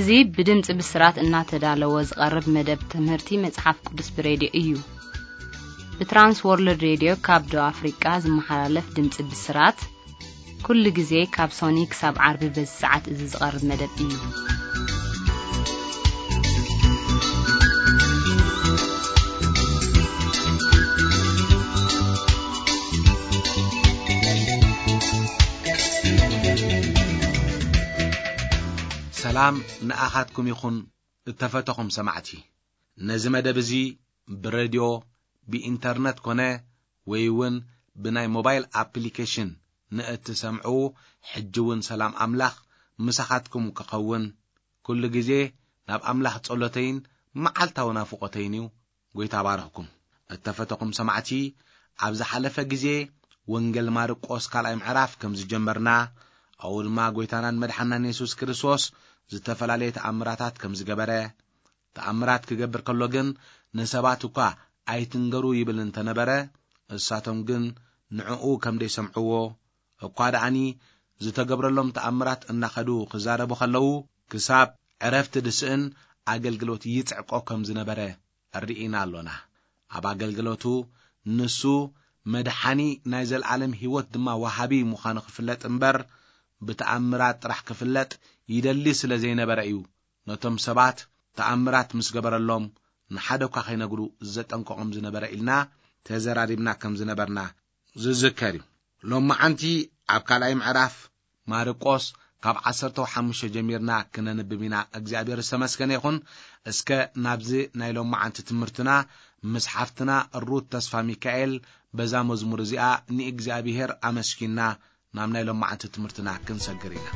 እዚ ብድምፂ ብስራት እናተዳለወ ዝቐርብ መደብ ትምህርቲ መጽሓፍ ቅዱስ ብሬድዮ እዩ። ብትራንስ ወርልድ ሬድዮ ካብ ደቡብ ኣፍሪቃ ዝመሓላለፍ ድምፂ ብስራት፣ ኩሉ ግዜ ካብ ሶኒ ክሳብ ዓርቢ በዚ ሰዓት እዚ ዝቐርብ መደብ እዩ። ሰላም ንኣኻትኩም ይኹን፣ እተፈተኹም ሰማዕቲ። ነዚ መደብ እዚ ብሬድዮ፣ ብኢንተርነት ኮነ ወይ እውን ብናይ ሞባይል ኣፕሊኬሽን ንእትሰምዑ፣ ሕጂ እውን ሰላም ኣምላኽ ምሳኻትኩም ክኸውን ኩሉ ግዜ ናብ ኣምላኽ ጸሎተይን መዓልታዊ ናፍቖተይን እዩ። ጎይታ ባረኽኩም። እተፈተኹም ሰማዕቲ፣ ኣብ ዝሓለፈ ግዜ ወንጌል ማርቆስ ካልኣይ ምዕራፍ ከም ዝጀመርና፣ ኣብኡ ድማ ጎይታናን መድሓናን የሱስ ክርስቶስ ዝተፈላለየ ተኣምራታት ከም ዝገበረ፣ ተኣምራት ክገብር ከሎ ግን ንሰባት እኳ ኣይትንገሩ ይብል እንተነበረ፣ እሳቶም ግን ንዕኡ ከም ደይሰምዕዎ፣ እኳ ደኣኒ ዝተገብረሎም ተኣምራት እናኸዱ ክዛረቡ ከለዉ፣ ክሳብ ዕረፍቲ ድስእን ኣገልግሎት ይጽዕቆ ከም ዝነበረ ርኢና ኣሎና። ኣብ ኣገልግሎቱ ንሱ መድሓኒ ናይ ዘለኣለም ህይወት ድማ ወሃቢ ምዃኑ ክፍለጥ እምበር፣ ብተኣምራት ጥራሕ ክፍለጥ ይደሊ ስለ ዘይነበረ እዩ፣ ነቶም ሰባት ተኣምራት ምስ ገበረሎም ንሓደ እኳ ከይነግሩ ዘጠንቀቖም ዝነበረ ኢልና ተዘራሪብና ከም ዝነበርና ዝዝከር እዩ። ሎማዓንቲ ኣብ ካልኣይ ምዕራፍ ማርቆስ ካብ ዓሰርተ ሓሙሽተ ጀሚርና ክነንብብ ኢና። እግዚኣብሔር ዝተመስገነ ይኹን። እስከ ናብዚ ናይ ሎማዓንቲ ትምህርትና ምስ ሓፍትና ሩት ተስፋ ሚካኤል በዛ መዝሙር እዚኣ ንእግዚኣብሔር ኣመስጊንና ናብ ናይ ሎማዓንቲ ትምህርትና ክንሰግር ኢና።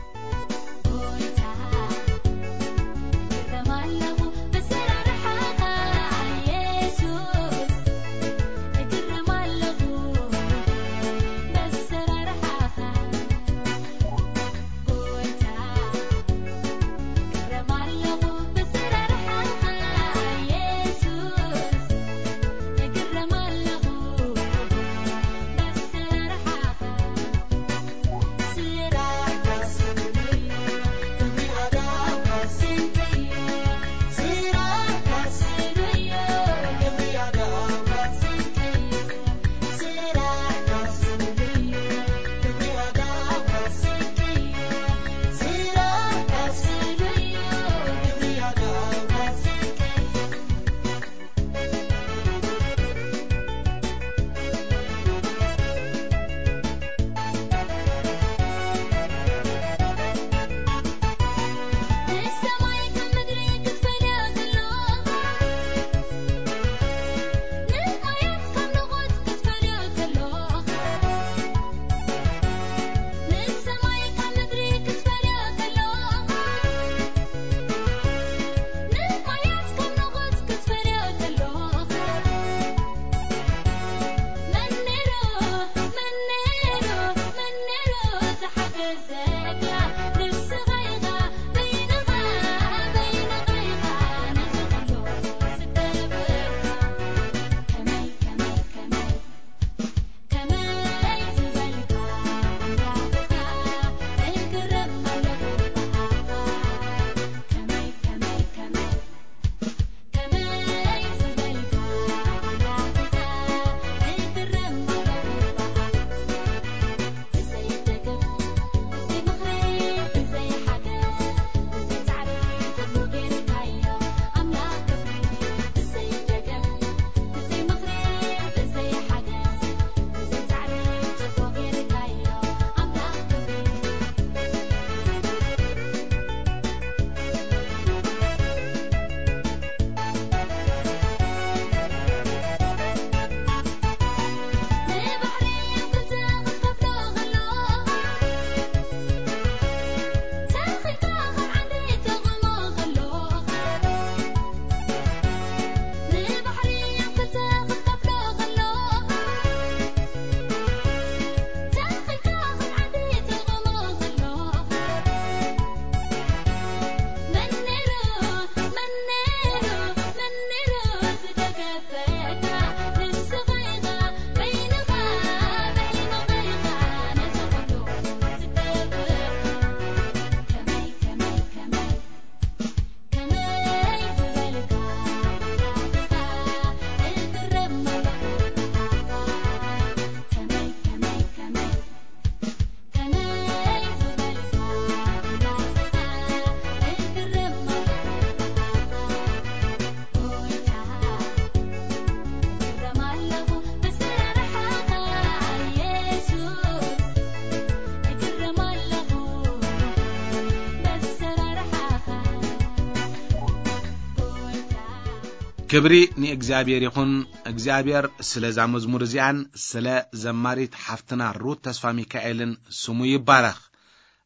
ክብሪ ንእግዚኣብሔር ይኹን። እግዚኣብሔር ስለዛ መዝሙር እዚኣን ስለ ዘማሪት ሓፍትና ሩት ተስፋ ሚካኤልን ስሙ ይባረኽ።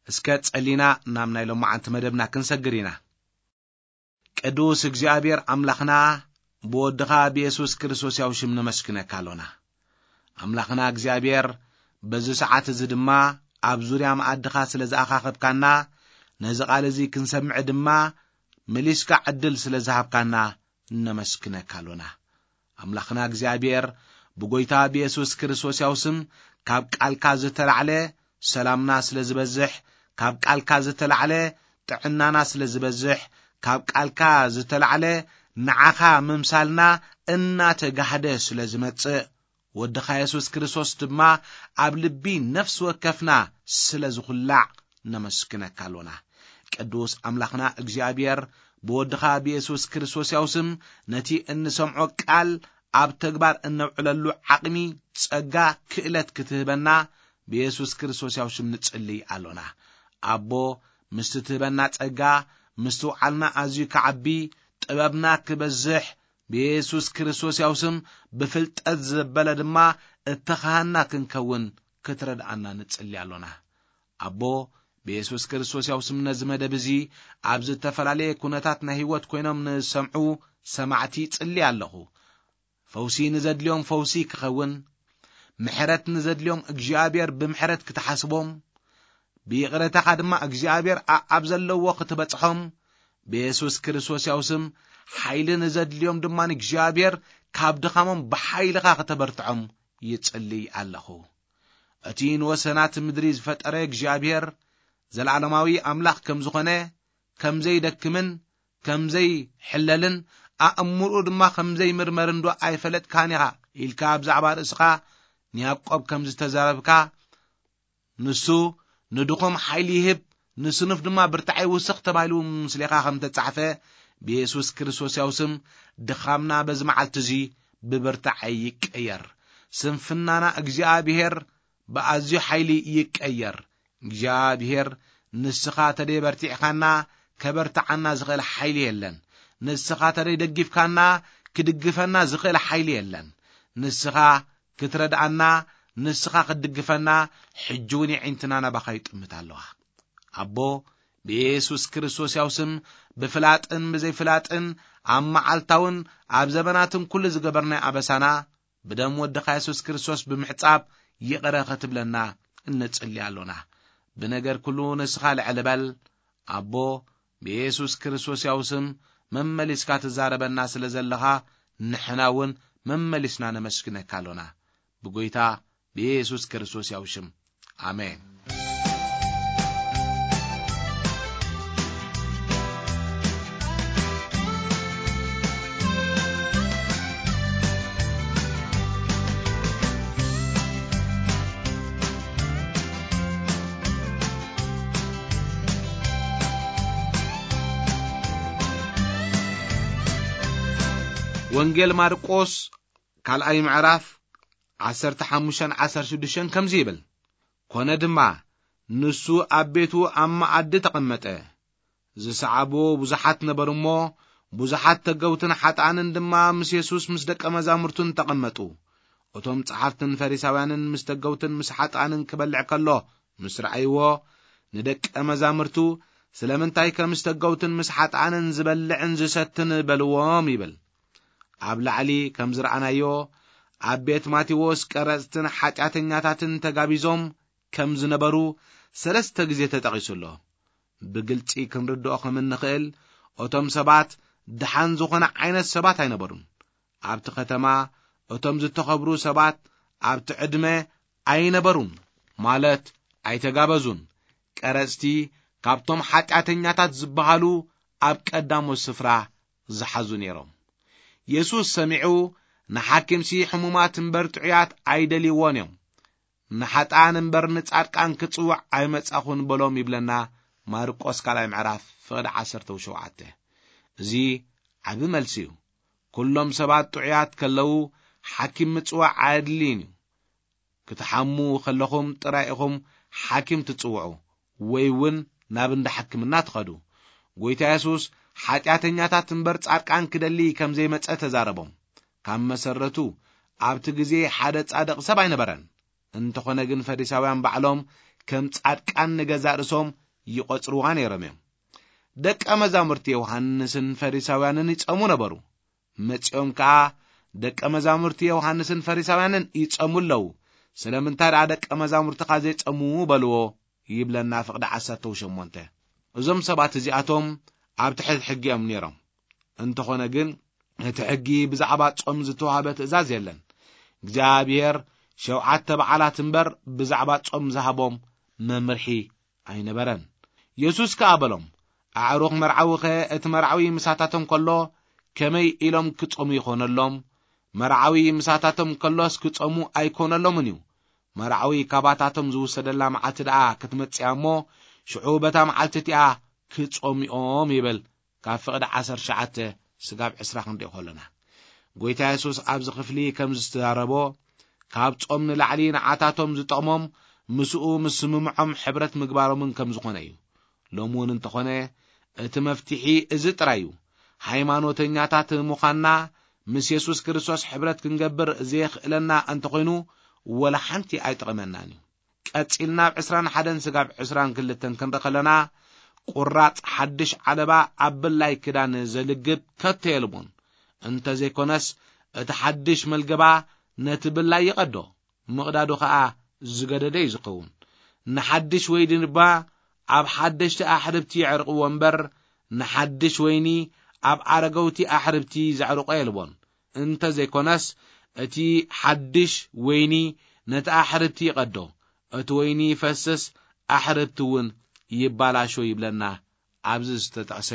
እስከ ጸሊና ናብ ናይ ሎማዓንቲ መደብና ክንሰግር ኢና። ቅዱስ እግዚኣብሔር ኣምላኽና፣ ብወድኻ ብየሱስ ክርስቶስ ያው ሽም ነመስግነካ ኣሎና። ኣምላኽና እግዚኣብሔር፣ በዚ ሰዓት እዚ ድማ ኣብ ዙርያ መኣድኻ ስለ ዝኣኻኸብካና፣ ነዚ ቃል እዚ ክንሰምዕ ድማ መሊስካ ዕድል ስለ ዝሃብካና ነመስግነካ ኣሎና። ኣምላኽና እግዚኣብሔር፣ ብጎይታ ብየሱስ ክርስቶስ ያው ስም ካብ ቃልካ ዝተላዕለ ሰላምና ስለ ዝበዝሕ፣ ካብ ቃልካ ዝተላዕለ ጥዕናና ስለ ዝበዝሕ፣ ካብ ቃልካ ዝተላዕለ ንዓኻ ምምሳልና እናተጋህደ ስለ ዝመጽእ፣ ወድኻ የሱስ ክርስቶስ ድማ ኣብ ልቢ ነፍሲ ወከፍና ስለ ዝኹላዕ ነመስግነካ ኣሎና። ቅዱስ ኣምላኽና እግዚኣብሔር፣ ብወድኻ ብየሱስ ክርስቶስ ያው ስም ነቲ እንሰምዖ ቃል ኣብ ተግባር እነውዕለሉ ዓቕሚ፣ ጸጋ፣ ክእለት ክትህበና ብየሱስ ክርስቶስ ያው ሽም ንጽልይ ኣሎና። ኣቦ፣ ምስቲ ትህበና ጸጋ፣ ምስትውዓልና ኣዝዩ ክዓቢ፣ ጥበብና ክበዝሕ፣ ብየሱስ ክርስቶስ ያው ስም ብፍልጠት ዘበለ ድማ እተኻህና ክንከውን ክትረድኣና ንጽሊ ኣሎና። ኣቦ፣ ብየሱስ ክርስቶስ ያው ስም ነዚ መደብ እዚ ኣብ ዝተፈላለየ ኩነታት ናይ ህይወት ኮይኖም ንሰምዑ ሰማዕቲ ጽሊ ኣለኹ። ፈውሲ ንዘድልዮም ፈውሲ ክኸውን፣ ምሕረት ንዘድልዮም እግዚኣብሔር ብምሕረት ክትሓስቦም፣ ብይቕረታኻ ድማ እግዚኣብሔር ኣኣብ ዘለዎ ክትበጽሖም፣ ብየሱስ ክርስቶስ ያው ስም ሓይሊ ንዘድልዮም ድማ እግዚኣብሔር ካብ ድኻሞም ብሓይልኻ ክተበርትዖም ይጽልይ ኣለኹ። እቲ ንወሰናት ምድሪ ዝፈጠረ እግዚኣብሔር፣ ዘለዓለማዊ ኣምላኽ ከም ዝኾነ፣ ከም ዘይደክምን ከም ዘይሕለልን፣ ኣእምርኡ ድማ ከም ዘይምርመርን ዶ ኣይፈለጥካን ኢኻ? ኢልካ ብዛዕባ ርእስኻ ንያዕቆብ ከም ዝተዛረብካ፣ ንሱ ንድኹም ሓይሊ ይህብ፣ ንስኑፍ ድማ ብርታዕ ይውስኽ ተባሂሉ ምስሌኻ ከም ተጻሕፈ፣ ብየሱስ ክርስቶስ ያው ስም ድኻምና በዚ መዓልቲ እዚ ብብርታዕ ይቀየር። ስንፍናና እግዚኣብሔር ብኣዝዩ ሓይሊ ይቀየር። እግዚኣብሔር፣ ንስኻ ተደይ በርቲዕኻና፣ ከበርትዓና ዝኽእል ሓይሊ የለን። ንስኻ ተደይ ደጊፍካና፣ ክድግፈና ዝኽእል ሓይሊ የለን። ንስኻ ክትረድኣና፣ ንስኻ ክትድግፈና፣ ሕጂ እውን የዒንትና ናባኻ ይጥምት ኣለዋ። ኣቦ፣ ብየሱስ ክርስቶስ ያው ስም፣ ብፍላጥን ብዘይፍላጥን፣ ኣብ መዓልታውን ኣብ ዘበናትን ኩሉ ዝገበርናይ ኣበሳና፣ ብደም ወድኻ የሱስ ክርስቶስ ብምሕጻብ ይቕረ ክትብለና እንጽሊ ኣሎና። ብነገር ኩሉ ንስኻ ልዕል በል። ኣቦ፣ ብየሱስ ክርስቶስ ያው ስም መመሊስካ ትዛረበና ስለ ዘለኻ፣ ንሕና እውን መመሊስና ነመስግነካ ኣሎና። ብጎይታ ብየሱስ ክርስቶስ ያው ሽም፣ ኣሜን። ወንጌል ማርቆስ ካልኣይ ምዕራፍ ዓሰርተ ሓሙሽተን ዓሰርተ ሽዱሽተን ከምዚ ይብል፣ ኮነ ድማ ንሱ ኣብ ቤቱ ኣብ መኣዲ ተቐመጠ። ዝሰዓብዎ ብዙሓት ነበሩ እሞ፣ ብዙሓት ተገውትን ሓጥኣንን ድማ ምስ የሱስ ምስ ደቀ መዛሙርቱን ተቐመጡ። እቶም ጸሓፍትን ፈሪሳውያንን ምስ ተገውትን ምስ ሓጥኣንን ክበልዕ ከሎ ምስ ረኣይዎ፣ ንደቀ መዛሙርቱ፣ ስለምንታይ ከም ምስ ተገውትን ምስ ሓጥኣንን ዝበልዕን ዝሰትን በልዎም ይብል። ኣብ ላዕሊ ከም ዝረኣናዮ፣ ኣብ ቤት ማቴዎስ ቀረጽትን ሓጢኣተኛታትን ተጋቢዞም ከም ዝነበሩ ሰለስተ ግዜ ተጠቒሱ ኣሎ። ብግልጺ ክንርድኦ ከም እንኽእል፣ እቶም ሰባት ደሓን ዝኾነ ዓይነት ሰባት ኣይነበሩን። ኣብቲ ከተማ እቶም ዝተኸብሩ ሰባት ኣብቲ ዕድመ ኣይነበሩን፣ ማለት ኣይተጋበዙን። ቀረጽቲ ካብቶም ሓጢኣተኛታት ዝበሃሉ ኣብ ቀዳሞት ስፍራ ዝሓዙ ነይሮም። የሱስ ሰሚዑ፣ ንሓኪምሲ ሕሙማት እምበር ጥዑያት ኣይደልይዎን እዮም፣ ንሓጥኣን እምበር ንጻድቃን ክጽውዕ ኣይመጻኹን በሎም ይብለና ማርቆስ ካልኣይ ምዕራፍ ፍቕዲ ዓሰርተ ሸውዓተ። እዚ ዓቢ መልሲ እዩ። ኩሎም ሰባት ጥዑያት ከለዉ ሓኪም ምጽዋዕ ኣየድልይን እዩ። ክትሓሙ ከለኹም ጥራይ ኢኹም ሓኪም ትጽውዑ ወይ እውን ናብ እንዳ ሕክምና ትኸዱ። ጎይታ የሱስ ሓጢኣተኛታት እምበር ጻድቃን ክደሊ ከም ዘይመጸ ተዛረቦም። ካብ መሰረቱ ኣብቲ ግዜ ሓደ ጻድቕ ሰብ ኣይነበረን። እንተኾነ ግን ፈሪሳውያን ባዕሎም ከም ጻድቃን ንገዛእ ርእሶም ይቖጽርዋ ነይሮም እዮም። ደቀ መዛሙርቲ ዮሃንስን ፈሪሳውያንን ይጸሙ ነበሩ። መጺኦም ከኣ ደቀ መዛሙርቲ ዮሃንስን ፈሪሳውያንን ይጸሙ ኣለዉ። ስለምንታይ ደኣ ደቀ መዛሙርትኻ ዘይጸሙ በልዎ ይብለና ፍቕዲ ዓሰርተ ሸሞንተ። እዞም ሰባት እዚኣቶም ኣብ ትሕቲ ሕጊ እዮም ነይሮም። እንተኾነ ግን እቲ ሕጊ ብዛዕባ ጾም ዝተዋህበ ትእዛዝ የለን። እግዚኣብሔር ሸውዓተ በዓላት እምበር ብዛዕባ ጾም ዝሃቦም መምርሒ ኣይነበረን። የሱስ ከኣ በሎም፣ ኣዕሩኽ መርዓዊኸ እቲ መርዓዊ ምሳታቶም ከሎ ከመይ ኢሎም ክጾሙ ይኾነሎም? መርዓዊ ምሳታቶም ከሎስ ክጾሙ ኣይኮነሎምን እዩ። መርዓዊ ካባታቶም ዝውሰደላ መዓልቲ ደኣ ክትመጽእ እያ እሞ፣ ሽዑ በታ መዓልቲ እቲኣ ክጾሙ እዮም ይብል። ካብ ፍቕዲ ዓሰርተ ትሽዓተ ስጋብ ዕስራ ክንሪኦ ከሎና፣ ጎይታ የሱስ ኣብዚ ክፍሊ ከም ዝተዛረቦ፣ ካብ ጾም ንላዕሊ ንዓታቶም ዝጠቕሞም ምስኡ ምስምምዖም ሕብረት ምግባሮምን ከም ዝኾነ እዩ። ሎሚ እውን እንተኾነ እቲ መፍትሒ እዚ ጥራይ እዩ። ሃይማኖተኛታት ምዃንና ምስ የሱስ ክርስቶስ ሕብረት ክንገብር ዘየኽእለና እንተኾይኑ፣ ወላ ሓንቲ ኣይጠቕመናን እዩ። ቀጺልና ኣብ ዕስራን ሓደን ስጋብ ዕስራን ክልተን ክንርኢ ከለና፣ ቁራጽ ሓድሽ ዓለባ ኣብ ብላይ ክዳን ዘልግብ ከቶ የልቦን። እንተ ዘይኮነስ፣ እቲ ሓድሽ መልገባ ነቲ ብላይ ይቐዶ፣ ምቕዳዱ ኸኣ ዝገደደ እዩ ዝኸውን። ንሓድሽ ወይኒ ድማ ኣብ ሓደሽቲ ኣሕርብቲ የዕርቕዎ እምበር፣ ንሓድሽ ወይኒ ኣብ ኣረገውቲ ኣሕርብቲ ዘዕርቆ የልቦን። እንተ ዘይኮነስ፣ እቲ ሓድሽ ወይኒ ነቲ ኣሕርብቲ ይቐዶ፣ እቲ ወይኒ ይፈስስ፣ ኣሕርብቲ እውን ይባላሾ ይብለና ኣብዚ ዝተጠቕሰ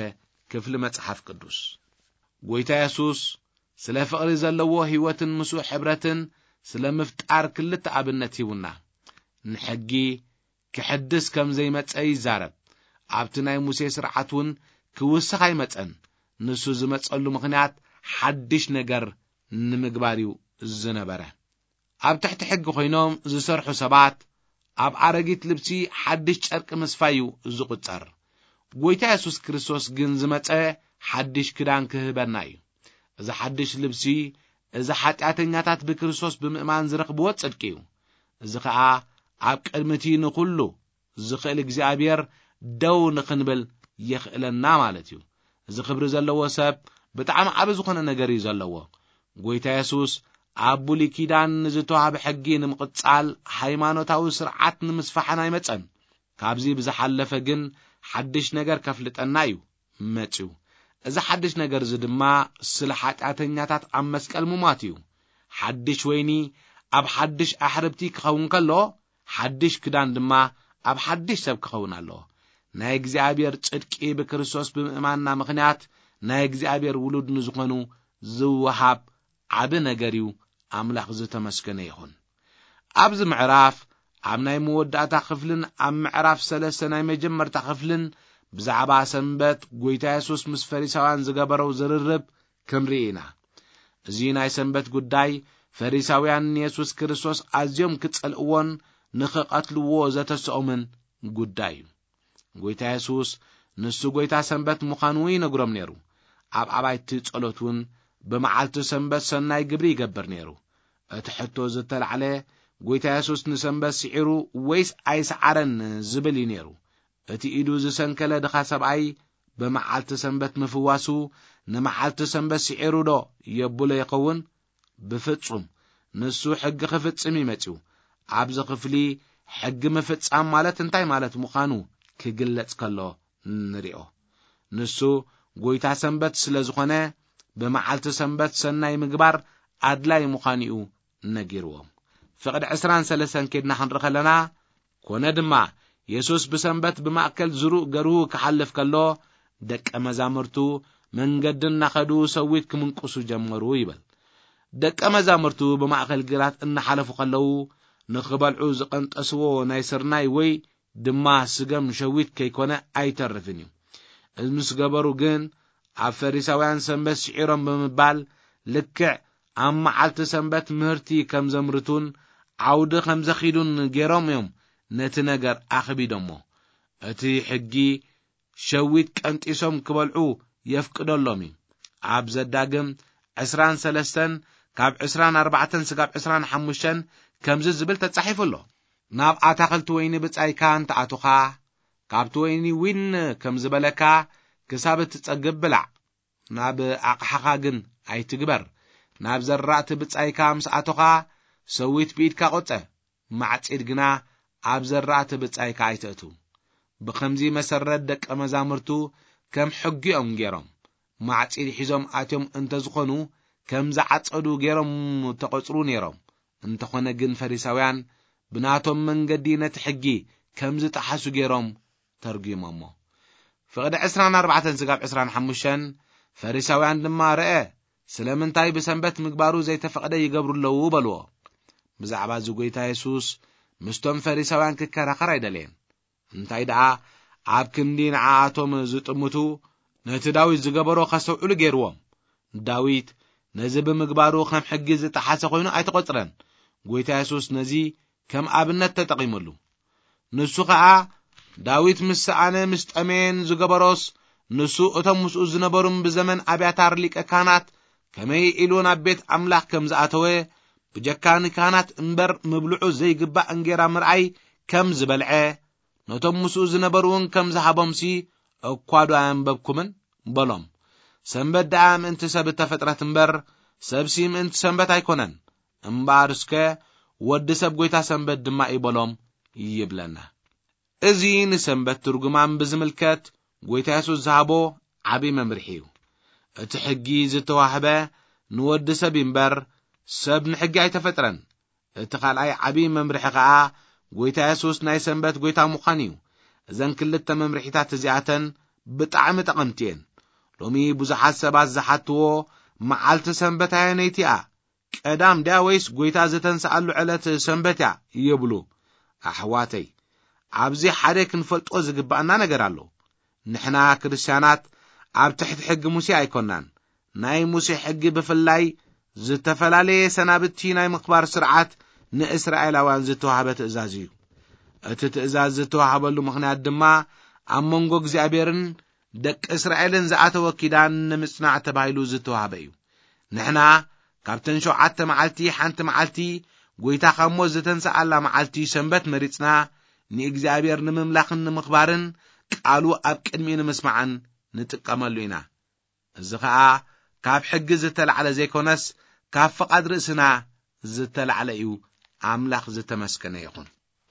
ክፍሊ መጽሓፍ ቅዱስ። ጎይታ የሱስ ስለ ፍቕሪ ዘለዎ ህይወትን ምስኡ ሕብረትን ስለ ምፍጣር ክልተ ኣብነት ሂቡና። ንሕጊ ክሕድስ ከም ዘይመጸ ይዛረብ። ኣብቲ ናይ ሙሴ ስርዓት እውን ክውስኽ ኣይመጸን። ንሱ ዝመጸሉ ምኽንያት ሓድሽ ነገር ንምግባር እዩ ዝነበረ። ኣብ ትሕቲ ሕጊ ኮይኖም ዝሰርሑ ሰባት ኣብ ኣረጊት ልብሲ ሓድሽ ጨርቂ ምስፋይ እዩ ዝቑጸር። ጎይታ የሱስ ክርስቶስ ግን ዝመጸ ሓድሽ ክዳን ክህበና እዩ። እዚ ሓድሽ ልብሲ፣ እዚ ሓጢኣተኛታት ብክርስቶስ ብምእማን ዝረኽብዎ ጽድቂ እዩ። እዚ ኸኣ ኣብ ቅድሚ እቲ ንኹሉ ዝኽእል እግዚኣብሔር ደው ንኽንብል የኽእለና ማለት እዩ። እዚ ክብሪ ዘለዎ ሰብ ብጣዕሚ ዓቢ ዝኾነ ነገር እዩ ዘለዎ። ጎይታ የሱስ ኣብ ብሉይ ኪዳን ንዝተዋህበ ሕጊ ንምቕጻል፣ ሃይማኖታዊ ስርዓት ንምስፋሕን ኣይመጸን። ካብዚ ብዝሓለፈ ግን ሓድሽ ነገር ከፍልጠና እዩ መጺኡ። እዚ ሓድሽ ነገር እዚ ድማ ስለ ሓጢኣተኛታት ኣብ መስቀል ምሟት እዩ። ሓድሽ ወይኒ ኣብ ሓድሽ ኣሕርብቲ ክኸውን ከሎ፣ ሓድሽ ክዳን ድማ ኣብ ሓድሽ ሰብ ክኸውን ኣለዎ። ናይ እግዚኣብሔር ጽድቂ ብክርስቶስ ብምእማንና ምኽንያት ናይ እግዚኣብሔር ውሉድ ንዝኾኑ ዝወሃብ ዓቢ ነገር እዩ። ኣምላኽ ዝተመስገነ ይኹን። ኣብዚ ምዕራፍ፣ ኣብ ናይ መወዳእታ ክፍልን ኣብ ምዕራፍ ሰለስተ ናይ መጀመርታ ክፍልን ብዛዕባ ሰንበት ጎይታ የሱስ ምስ ፈሪሳውያን ዝገበሮ ዝርርብ ክንርኢ ኢና። እዚ ናይ ሰንበት ጉዳይ ፈሪሳውያን ንየሱስ ክርስቶስ ኣዝዮም ክጸልእዎን ንኽቐትልዎ ዘተስኦምን ጉዳይ እዩ። ጎይታ የሱስ ንሱ ጎይታ ሰንበት ምዃኑ ይነግሮም ነይሩ። ኣብ ኣባይቲ ጸሎት እውን ብመዓልቲ ሰንበት ሰናይ ግብሪ ይገብር ነይሩ። እቲ ሕቶ ዝተላዕለ፣ ጎይታ የሱስ ንሰንበት ስዒሩ ወይስ ኣይሰዓረን ዝብል እዩ ነይሩ። እቲ ኢዱ ዝሰንከለ ድኻ ሰብኣይ ብመዓልቲ ሰንበት ምፍዋሱ ንመዓልቲ ሰንበት ስዒሩ ዶ የብሎ ይኸውን? ብፍጹም። ንሱ ሕጊ ክፍጽም እዩ መጺኡ። ኣብዚ ክፍሊ ሕጊ ምፍጻም ማለት እንታይ ማለት ምዃኑ ክግለጽ ከሎ ንሪኦ። ንሱ ጎይታ ሰንበት ስለ ዝኾነ፣ ብመዓልቲ ሰንበት ሰናይ ምግባር ኣድላይ ምዃኑ እዩ ነጊርዎም። ፍቕዲ ዕስራን ሰለስተን ኬድና ክንርኢ ከለና፣ ኮነ ድማ፣ የሱስ ብሰንበት ብማእከል ዝሩእ ገርሁ ክሓልፍ ከሎ፣ ደቀ መዛሙርቱ መንገዲ እናኸዱ ሰዊት ክምንቅሱ ጀመሩ ይብል። ደቀ መዛሙርቱ ብማእከል ግራት እናሓለፉ ከለዉ፣ ንኽበልዑ ዝቐንጠስዎ ናይ ስርናይ ወይ ድማ ስገም ሸዊት ከይኮነ ኣይተርፍን እዩ። እዚ ምስ ገበሩ ግን፣ ኣብ ፈሪሳውያን ሰንበት ስዒሮም ብምባል፣ ልክዕ ኣብ መዓልቲ ሰንበት ምህርቲ ከም ዘምርቱን ዓውዲ ከም ዘኺዱን ገይሮም እዮም ነቲ ነገር ኣኽቢዶሞ። እቲ ሕጊ ሸዊት ቀንጢሶም ክበልዑ የፍቅደሎም እዩ። ኣብ ዘዳግም ዕስራን ሰለስተን ካብ ዕስራን ኣርባዕተን ስጋብ ዕስራን ሓሙሽተን ከምዚ ዝብል ተጻሒፉ ኣሎ። ናብ ኣታኽልቲ ወይኒ ብጻይካ እንተኣቱኻ፣ ካብቲ ወይኒ ዊን ከም ዝበለካ ክሳብ እትጸግብ ብላዕ። ናብ ኣቕሓኻ ግን ኣይትግበር። ናብ ዘራእቲ ብጻይካ ምስ ኣቶኻ፣ ሰዊት ብኢድካ ቁጸ፣ ማዕጺድ ግና ኣብ ዘራእቲ ብጻይካ ኣይተእቱ። ብኸምዚ መሰረት ደቀ መዛሙርቱ ከም ሕጊ እዮም ገይሮም። ማዕጺድ ሒዞም ኣትዮም እንተዝኾኑ፣ ከም ዝዓጸዱ ገይሮም ተቖጽሩ ነይሮም። እንተኾነ ግን ፈሪሳውያን ብናቶም መንገዲ ነቲ ሕጊ ከም ዝጠሓሱ ገይሮም ተርጒሞሞ። ፍቕዲ ዕስራን ኣርባዕተን ስጋብ ዕስራን ሓሙሽተን ፈሪሳውያን ድማ ረአ፣ ስለምንታይ ብሰንበት ምግባሩ ዘይተፈቕደ ይገብሩ ኣለዉ በልዎ። ብዛዕባ እዚ ጐይታ የሱስ ምስቶም ፈሪሳውያን ክከራኸር ኣይደለየን። እንታይ ደኣ፣ ኣብ ክንዲ ንዓኣቶም ዝጥምቱ፣ ነቲ ዳዊት ዝገበሮ ከስተውዕሉ ገይርዎም። ዳዊት ነዚ ብምግባሩ ከም ሕጊ ዝጠሓሰ ኮይኑ ኣይተቖጽረን። ጐይታ የሱስ ነዚ ከም ኣብነት ተጠቒመሉ። ንሱ ኸኣ ዳዊት ምስ ሰኣነ ምስ ጠመየን ዝገበሮስ፣ ንሱ እቶም ምስኡ ዝነበሩን ብዘመን ኣብያታር ሊቀ ካህናት ከመይ ኢሉ ናብ ቤት ኣምላኽ ከም ዝኣተወ፣ ብጀካ ንካህናት እምበር ምብልዑ ዘይግባእ እንጌራ ምርኣይ ከም ዝበልዐ፣ ነቶም ምስኡ ዝነበሩ እውን ከም ዝሃቦምሲ እኳ ዶ ኣየንበብኩምን? በሎም። ሰንበት ደኣ ምእንቲ ሰብ እተፈጥረት እምበር፣ ሰብሲ ምእንቲ ሰንበት ኣይኮነን። እምበኣር እስከ ወዲ ሰብ ጐይታ ሰንበት ድማ እዩ በሎም ይብለና። እዚ ንሰንበት ትርጉማም ብዝምልከት ጐይታ የሱስ ዝሃቦ ዓቢ መምርሒ እዩ። እቲ ሕጊ ዝተዋህበ ንወዲ ሰብ እዩ እምበር፣ ሰብ ንሕጊ ኣይተፈጥረን። እቲ ካልኣይ ዓቢ መምርሒ ኸኣ ጐይታ የሱስ ናይ ሰንበት ጐይታ ምዃን እዩ። እዘን ክልተ መምርሒታት እዚኣተን ብጣዕሚ ጠቐምቲ እየን። ሎሚ ብዙሓት ሰባት ዝሓትዎ፣ መዓልቲ ሰንበት ኣየነይቲ እያ? ቀዳም ድያ ወይስ ጐይታ ዝተንስኣሉ ዕለት ሰንበት እያ? ይብሉ። ኣሕዋተይ፣ ኣብዚ ሓደ ክንፈልጦ ዝግባኣና ነገር ኣሎ። ንሕና ክርስትያናት ኣብ ትሕቲ ሕጊ ሙሴ ኣይኮናን። ናይ ሙሴ ሕጊ ብፍላይ ዝተፈላለየ ሰናብቲ ናይ ምኽባር ስርዓት ንእስራኤላውያን ዝተዋህበ ትእዛዝ እዩ። እቲ ትእዛዝ ዝተዋህበሉ ምኽንያት ድማ ኣብ መንጎ እግዚኣብሔርን ደቂ እስራኤልን ዝኣተወ ኪዳን ንምጽናዕ ተባሂሉ ዝተዋህበ እዩ። ንሕና ካብተን ሸውዓተ መዓልቲ ሓንቲ መዓልቲ፣ ጐይታ ካብ ሞት ዝተንስኣላ መዓልቲ ሰንበት መሪጽና፣ ንእግዚኣብሔር ንምምላኽን ንምኽባርን ቃሉ ኣብ ቅድሚኡ ንምስማዕን ንጥቀመሉ ኢና። እዚ ኸኣ ካብ ሕጊ ዝተላዕለ ዘይኮነስ፣ ካብ ፍቓድ ርእስና ዝተላዕለ እዩ። ኣምላኽ ዝተመስገነ ይኹን።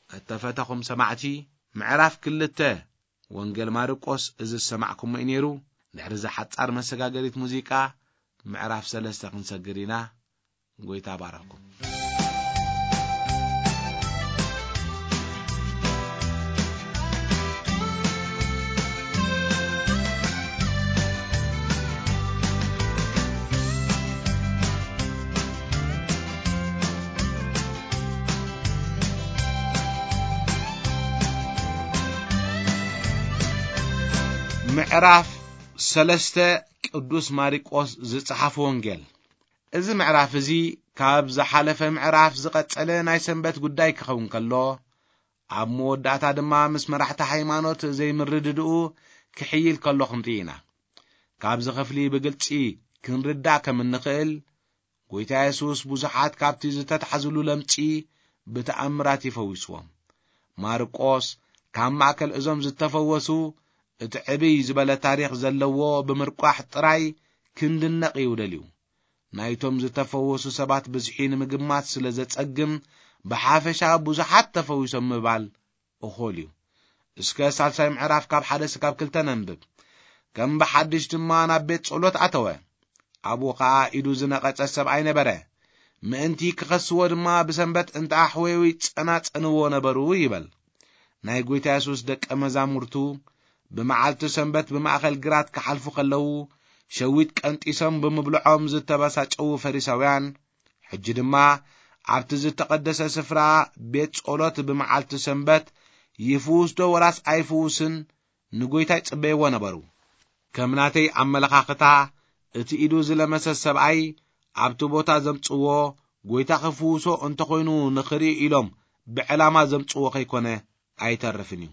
እተፈተኹም ሰማዕቲ፣ ምዕራፍ ክልተ ወንጌል ማርቆስ እዚ ዝሰማዕኩሞ እዩ ነይሩ። ድሕሪ እዛ ሓጻር መሰጋገሪት ሙዚቃ፣ ምዕራፍ ሰለስተ ክንሰግር ኢና። ጐይታ ባረኩም። ምዕራፍ ሰለስተ፣ ቅዱስ ማርቆስ ዝጸሓፎ ወንጌል። እዚ ምዕራፍ እዚ ካብ ዝሓለፈ ምዕራፍ ዝቐጸለ ናይ ሰንበት ጉዳይ ክኸውን ከሎ፣ ኣብ መወዳእታ ድማ ምስ መራሕቲ ሃይማኖት ዘይምርድድኡ ክሕይል ከሎ ክንርኢ ኢና። ካብዚ ክፍሊ ብግልጺ ክንርዳእ ከም እንኽእል፣ ጐይታ የሱስ ብዙሓት ካብቲ ዝተታሕዝሉ ለምጺ ብተኣምራት ይፈዊስዎም። ማርቆስ ካብ ማእከል እዞም ዝተፈወሱ እቲ ዕብይ ዝበለ ታሪኽ ዘለዎ ብምርቋሕ ጥራይ ክንድነቕ እዩ ደልዩ። ናይቶም ዝተፈወሱ ሰባት ብዝሒ ንምግማት ስለ ዘጸግም፣ ብሓፈሻ ብዙሓት ተፈዊሶም ምባል እኹል እዩ። እስከ ሳልሳይ ምዕራፍ ካብ ሓደ ስካብ ክልተ ነንብብ። ከም ብሓድሽ ድማ ናብ ቤት ጸሎት ኣተወ። ኣብኡ ኸኣ ኢዱ ዝነቐጸ ሰብኣይ ነበረ። ምእንቲ ክኸስዎ ድማ ብሰንበት እንተ ኣሕወዩ ይጸናጸንዎ ነበሩ ይበል። ናይ ጐይታ የሱስ ደቀ መዛሙርቱ ብመዓልቲ ሰንበት ብማእከል ግራት ክሓልፉ ከለዉ፣ ሸዊት ቀንጢሶም ብምብልዖም ዝተበሳጨዉ ፈሪሳውያን፣ ሕጂ ድማ ኣብቲ ዝተቐደሰ ስፍራ ቤት ጸሎት ብመዓልቲ ሰንበት ይፍውስ ዶ ወላስ ኣይፍውስን ንጐይታ ይጽበይዎ ነበሩ። ከም ናተይ ኣመለኻኽታ፣ እቲ ኢዱ ዝለመሰ ሰብኣይ ኣብቲ ቦታ ዘምጽዎ፣ ጐይታ ክፍውሶ እንተኾይኑ ንኽርኢ ኢሎም ብዕላማ ዘምጽዎ ከይኮነ ኣይተርፍን እዩ።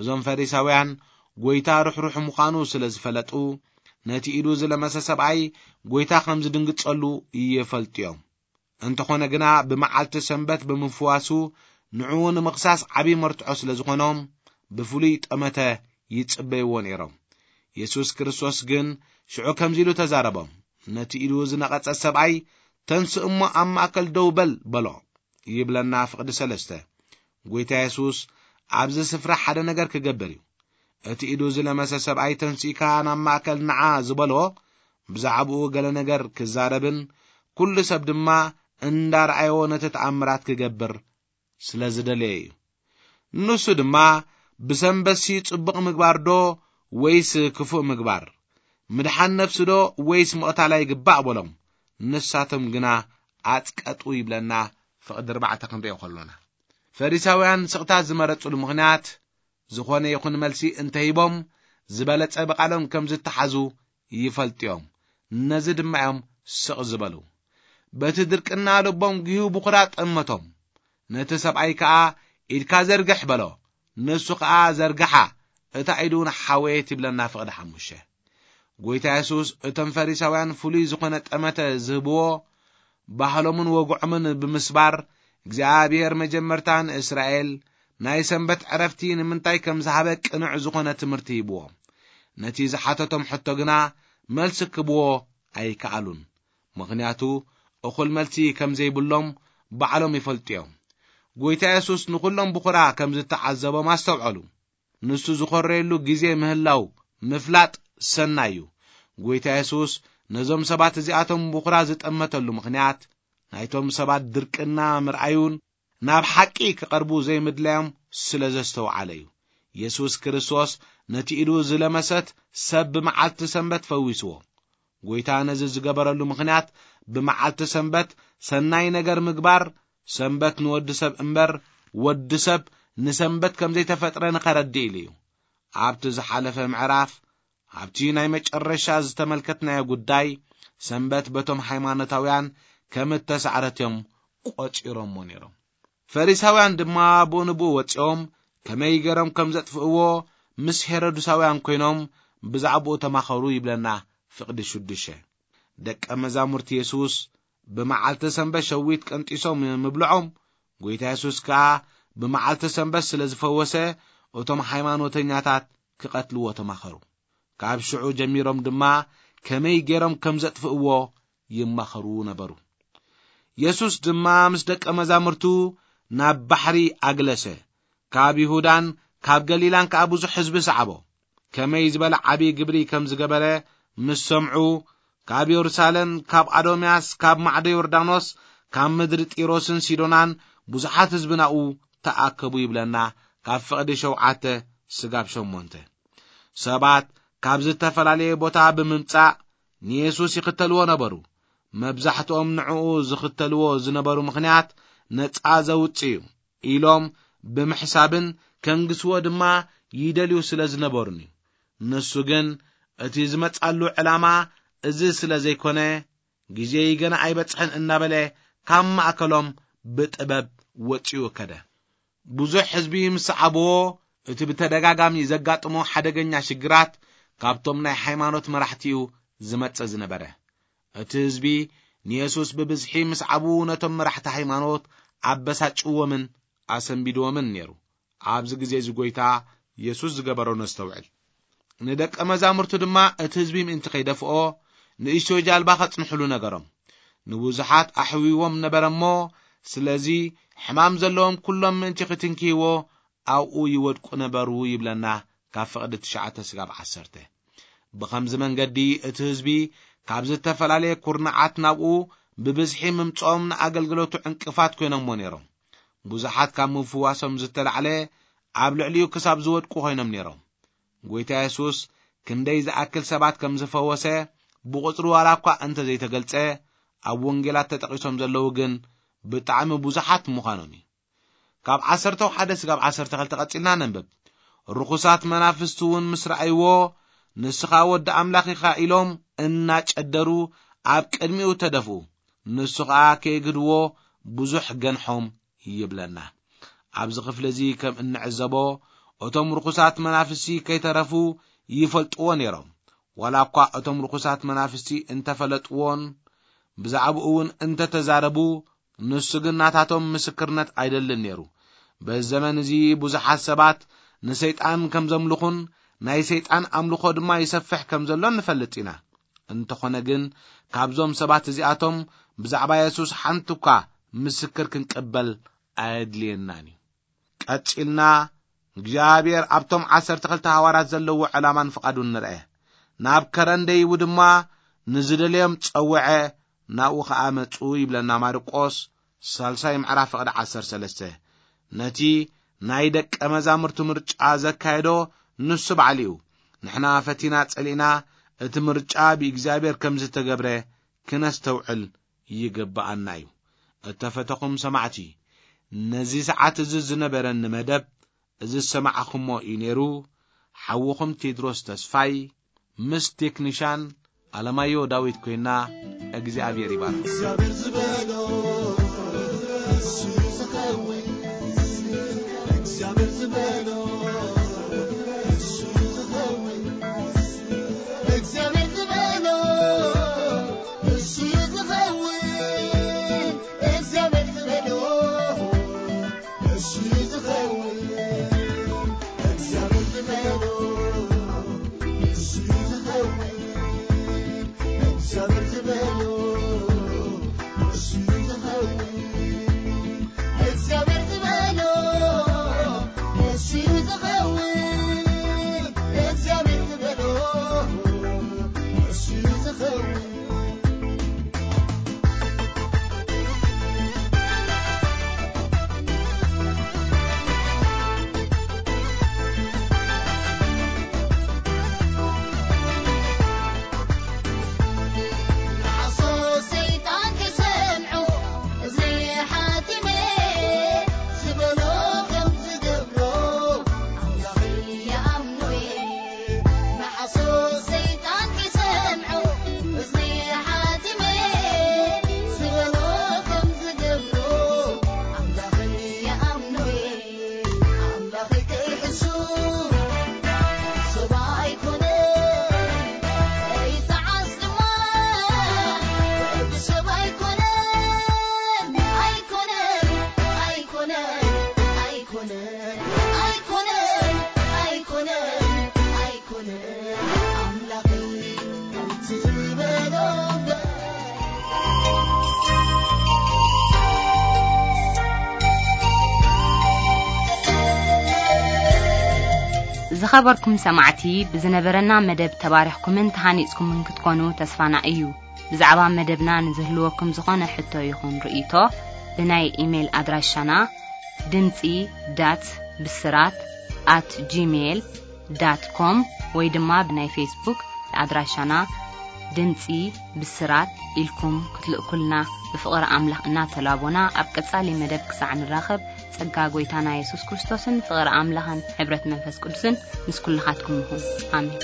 እዞም ፈሪሳውያን ጐይታ ርሕሩሕ ምዃኑ ስለ ዝፈለጡ፣ ነቲ ኢዱ ዝለመሰ ሰብኣይ ጎይታ ከም ዝድንግጸሉ ይፈልጡ እዮም። እንተኾነ ግና ብመዓልቲ ሰንበት ብምፍዋሱ ንዕኡ ንምኽሳስ ዓቢ መርትዖ ስለ ዝኾኖም ብፍሉይ ጠመተ ይጽበይዎ ነይሮም። የሱስ ክርስቶስ ግን ሽዑ ከምዚ ኢሉ ተዛረቦም፣ ነቲ ኢዱ ዝነቐጸ ሰብኣይ፣ "ተንስእ እሞ ኣብ ማእከል ደው በል" በሎ። ይብለና ፍቕዲ ሰለስተ። ጎይታ የሱስ ኣብዚ ስፍራ ሓደ ነገር ክገብር እዩ። እቲ ኢዱ ዝለመሰ ሰብኣይ፣ "ተንሲእካ ናብ ማእከል ንዓ" ዝበሎ፣ ብዛዕባኡ ገለ ነገር ክዛረብን ኩሉ ሰብ ድማ እንዳረኣዮ ነቲ ተኣምራት ክገብር ስለ ዝደለየ እዩ። ንሱ ድማ፣ "ብሰንበትሲ ጽቡቕ ምግባር ዶ ወይስ ክፉእ ምግባር? ምድሓን ነፍሲ ዶ ወይስ ምቕታል ኣይግባእ?" በሎም። ንሳቶም ግና ኣጽቀጡ ይብለና ፍቕዲ ኣርባዕተ ክንሪኦ ከሎና። ፈሪሳውያን ስቕታ ዝመረጽሉ ምኽንያት፣ ዝኾነ ይኹን መልሲ እንተሂቦም፣ ዝበለጸ ብቓሎም ከም ዝተሓዙ ይፈልጡ እዮም። ነዚ ድማ እዮም ስቕ ዝበሉ። በቲ ድርቅና ልቦም ጒሁ ብኹራ ጠመቶም። ነቲ ሰብኣይ ከኣ፣ "ኢድካ ዘርግሕ" በሎ። ንሱ ከኣ ዘርግሓ፣ እታ ኢዱ እውን ሓወየት ይብለና ፍቕዲ ሓሙሽተ። ጎይታ የሱስ እቶም ፈሪሳውያን ፍሉይ ዝኾነ ጠመተ ዝህብዎ፣ ባህሎምን ወግዖምን ብምስባር፣ እግዚኣብሔር መጀመርታ ንእስራኤል ናይ ሰንበት ዕረፍቲ ንምንታይ ከም ዝሃበ ቅኑዕ ዝኾነ ትምህርቲ ሂብዎም። ነቲ ዝሓተቶም ሕቶ ግና መልሲ ክህብዎ ኣይከኣሉን። ምኽንያቱ እኹል መልሲ ከም ዘይብሎም ባዕሎም ይፈልጡ እዮም። ጎይታ የሱስ ንኹሎም ብኹራ ከም ዝተዓዘቦም ኣስተውዐሉ። ንሱ ዝኾረየሉ ግዜ ምህላው ምፍላጥ ሰናይ እዩ። ጎይታ የሱስ ነዞም ሰባት እዚኣቶም ብኹራ ዝጠመተሉ ምኽንያት፣ ናይቶም ሰባት ድርቅና ምርኣዩን ናብ ሓቂ ክቐርቡ ዘይምድላዮም ስለ ዘስተውዓለ እዩ። የሱስ ክርስቶስ ነቲ ኢዱ ዝለመሰት ሰብ ብመዓልቲ ሰንበት ፈዊስዎ። ጎይታ ነዚ ዝገበረሉ ምኽንያት፣ ብመዓልቲ ሰንበት ሰናይ ነገር ምግባር፣ ሰንበት ንወዲ ሰብ እምበር፣ ወዲ ሰብ ንሰንበት ከም ዘይተፈጥረ ንኸረድእ ኢሉ እዩ። ኣብቲ ዝሓለፈ ምዕራፍ፣ ኣብቲ ናይ መጨረሻ ዝተመልከትናዮ ጉዳይ፣ ሰንበት በቶም ሃይማኖታውያን ከም እተሳዕረት እዮም ቆጺሮሞ ነይሮም። ፈሪሳውያን ድማ ብኡ ንብኡ ወጺኦም ከመይ ገይሮም ከም ዘጥፍእዎ ምስ ሄሮድሳውያን ኮይኖም ብዛዕባኡ ተማኸሩ ይብለና ፍቕዲ ሽዱሽተ። ደቀ መዛሙርቲ የሱስ ብመዓልቲ ሰንበት ሸዊት ቀንጢሶም ምብልዖም፣ ጎይታ የሱስ ከኣ ብመዓልቲ ሰንበት ስለ ዝፈወሰ፣ እቶም ሃይማኖተኛታት ክቐትልዎ ተማኸሩ። ካብ ሽዑ ጀሚሮም ድማ ከመይ ገይሮም ከም ዘጥፍእዎ ይማኸሩ ነበሩ። የሱስ ድማ ምስ ደቀ መዛሙርቱ ናብ ባሕሪ ኣግለሰ። ካብ ይሁዳን ካብ ገሊላን ከኣ ብዙሕ ህዝቢ ሰዓቦ። ከመይ ዝበለ ዓቢ ግብሪ ከም ዝገበረ ምስ ሰምዑ፣ ካብ የሩሳሌም፣ ካብ ኣዶምያስ፣ ካብ ማዕዶ ዮርዳኖስ፣ ካብ ምድሪ ጢሮስን ሲዶናን ብዙሓት ህዝቢ ናብኡ ተኣከቡ ይብለና ካብ ፍቕዲ ሸውዓተ ስጋብ ሸሞንተ። ሰባት ካብ ዝተፈላለየ ቦታ ብምምጻእ ንየሱስ ይኽተልዎ ነበሩ። መብዛሕትኦም ንዕኡ ዝኽተልዎ ዝነበሩ ምኽንያት ነጻ ዘውጽእ እዩ ኢሎም ብምሕሳብን ከንግስዎ ድማ ይደልዩ ስለ ዝነበሩን እዩ። ንሱ ግን እቲ ዝመጻሉ ዕላማ እዚ ስለ ዘይኮነ፣ "ግዜይ ገና ኣይበጽሐን" እናበለ ካብ ማእከሎም ብጥበብ ወጺኡ ከደ። ብዙሕ ህዝቢ ምስ ሰዓብዎ፣ እቲ ብተደጋጋሚ ዘጋጥሞ ሓደገኛ ሽግራት ካብቶም ናይ ሃይማኖት መራሕቲ እዩ ዝመጽእ ዝነበረ። እቲ ህዝቢ ንየሱስ ብብዝሒ ምስ ዓቡ ነቶም መራሕቲ ሃይማኖት ኣበሳጭዎምን ኣሰንቢድዎምን ነይሩ። ኣብዚ ግዜ እዚ ጎይታ የሱስ ዝገበሮ ነስተውዕል። ንደቀ መዛሙርቱ ድማ እቲ ህዝቢ ምእንቲ ከይደፍኦ ንእሽቶ ጃልባ ከጽንሕሉ ነገሮም። ንብዙሓት ኣሕዊዎም ነበረ እሞ፣ ስለዚ ሕማም ዘለዎም ኩሎም ምእንቲ ክትንክይዎ ኣብኡ ይወድቁ ነበሩ ይብለና ካብ ፍቕዲ ትሽዓተ ስጋብ ዓሰርተ። ብኸምዚ መንገዲ እቲ ህዝቢ ካብ ዝተፈላለየ ኩርናዓት ናብኡ ብብዝሒ ምምጽኦም ንኣገልግሎቱ ዕንቅፋት ኮይኖምዎ ነይሮም። ብዙሓት ካብ ምፍዋሶም ዝተላዕለ ኣብ ልዕሊኡ ክሳብ ዝወድቁ ኮይኖም ነይሮም። ጎይታ የሱስ ክንደይ ዝኣክል ሰባት ከም ዝፈወሰ ብቑጽሪ ዋላ እኳ እንተ ዘይተገልጸ፣ ኣብ ወንጌላት ተጠቒሶም ዘለዉ ግን ብጣዕሚ ብዙሓት ምዃኖም እዩ። ካብ ዓሰርተ ሓደ ስጋብ ዓሰርተ ክልተ ቀጺልና ነንብብ። ርኹሳት መናፍስቲ እውን ምስ ረኣይዎ፣ "ንስኻ ወዲ ኣምላኽ ኢኻ" ኢሎም እናጨደሩ ኣብ ቅድሚኡ ተደፍኡ። ንሱ ኸኣ ከየግድዎ ብዙሕ ገንሖም ይብለና። ኣብዚ ክፍሊ እዚ ከም እንዕዘቦ፣ እቶም ርኹሳት መናፍስቲ ከይተረፉ ይፈልጥዎ ነይሮም። ዋላ እኳ እቶም ርኹሳት መናፍስቲ እንተፈለጥዎን ብዛዕባኡ እውን እንተተዛረቡ፣ ንሱ ግን ናታቶም ምስክርነት ኣይደልን ነይሩ። በዚ ዘመን እዚ ብዙሓት ሰባት ንሰይጣን ከም ዘምልኹን ናይ ሰይጣን ኣምልኾ ድማ ይሰፍሕ ከም ዘሎን ንፈልጥ ኢና። እንተኾነ ግን ካብዞም ሰባት እዚኣቶም ብዛዕባ የሱስ ሓንቲ እኳ ምስክር ክንቅበል ኣየድልየናን እዩ። ቀጺልና እግዚኣብሔር ኣብቶም ዓሰርተ ክልተ ሃዋርያት ዘለዎ ዕላማን ፍቓዱን ንርአ። ናብ ከረን ደይቡ ድማ ንዝደለዮም ጸውዐ፣ ናብኡ ኸኣ መጹ ይብለና ማርቆስ ሳልሳይ ምዕራፍ ፍቕዲ ዓሰርተ ሰለስተ። ነቲ ናይ ደቀ መዛሙርቱ ምርጫ ዘካየዶ ንሱ ባዕሉ እዩ። ንሕና ፈቲና ጸሊእና እቲ ምርጫ ብእግዚኣብሔር ከም ዝተገብረ ክነስተውዕል ይግብኣና እዩ። እተፈተኹም ሰማዕቲ፣ ነዚ ሰዓት እዚ ዝነበረኒ መደብ እዚ ዝሰማዕኹሞ እዩ ነይሩ። ሓውኹም ቴድሮስ ተስፋይ ምስ ቴክኒሻን ኣለማዮ ዳዊት ኮይና፣ እግዚኣብሔር ይባርክ። እግዚኣብሔር ዝበሎ እሱ እዩ ዝኸውን። እግዚኣብሔር ዝበሎ እሱ እዩ ዝኸውን። እግዚኣብሔር ዝበሎ እሱ እዩ ዝኸውን። እግዚኣብሔር ዝበሎ እሱ እዩ ዝኸውን። እግዚኣብሔር ዝበሎ እሱ እዩ ዝኸውን። እግዚኣብሔር ዝበሎ እሱ እዩ ዝኸውን። እግዚኣብሔር ዝበሎ እሱ እዩ ዝኸውን። እግዚኣብሔር ዝበሎ እሱ እዩ ዝኸውን። ዝኸበርኩም ሰማዕቲ፣ ብዝነበረና መደብ ተባሪኽኩምን ተሃኒጽኩምን ክትኮኑ ተስፋና እዩ። ብዛዕባ መደብና ንዝህልወኩም ዝኾነ ሕቶ ይኹን ርእይቶ፣ ብናይ ኢሜይል ኣድራሻና ድምጺ ዳት ብስራት ኣት ጂሜይል ዳት ኮም ወይ ድማ ብናይ ፌስቡክ ኣድራሻና ድምጺ ብስራት ኢልኩም ክትልእኩልና ብፍቕሪ ኣምላኽ እናተላቦና፣ ኣብ ቀጻሊ መደብ ክሳዕ ንራኸብ፣ ጸጋ ጐይታና የሱስ ክርስቶስን ፍቕሪ ኣምላኽን ሕብረት መንፈስ ቅዱስን ምስ ኩልኻትኩም ይኹን። ኣሜን።